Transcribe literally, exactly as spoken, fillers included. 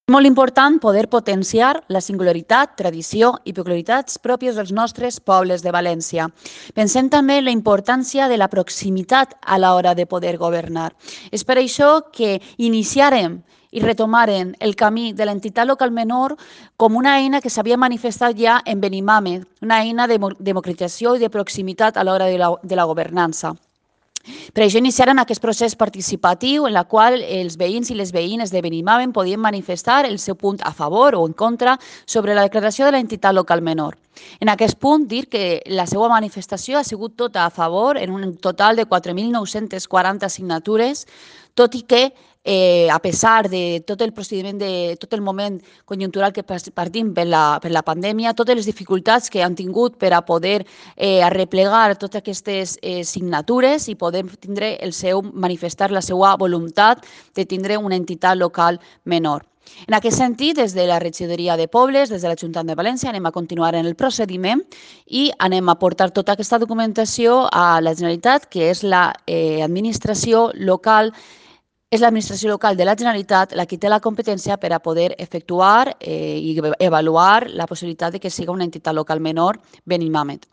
És molt important poder potenciar la singularitat, tradició i peculiaritats pròpies dels nostres pobles de València. Pensem també en la importància de la proximitat a l'hora de poder governar. És per això que iniciarem i retomaren el camí de l'entitat local menor com una eina que s'havia manifestat ja en Benimàmet, una eina de democratització i de proximitat a l'hora de la, de la governança. Per això iniciaren aquest procés participatiu en el qual els veïns i les veïnes de Benimàmet podien manifestar el seu punt a favor o en contra sobre la declaració de l'entitat local menor. En aquest punt, dir que la seva manifestació ha sigut tota a favor, en un total de quatre mil nou-centes quaranta signatures, tot i que Eh, a pesar de tot el procediment, de tot el moment conjuntural que partim per la, per la pandèmia, totes les dificultats que han tingut per a poder eh, arreplegar totes aquestes eh, signatures i poder tindre el seu, manifestar la seva voluntat de tindre una entitat local menor. En aquest sentit, des de la regidoria de Pobles, des de l'Ajuntament de València, anem a continuar en el procediment i anem a portar tota aquesta documentació a la Generalitat, que és l'administració eh, local és l'administració local de la Generalitat la que té la competència per a poder efectuar eh, i avaluar la possibilitat de que siga una entitat local menor Benimàmet.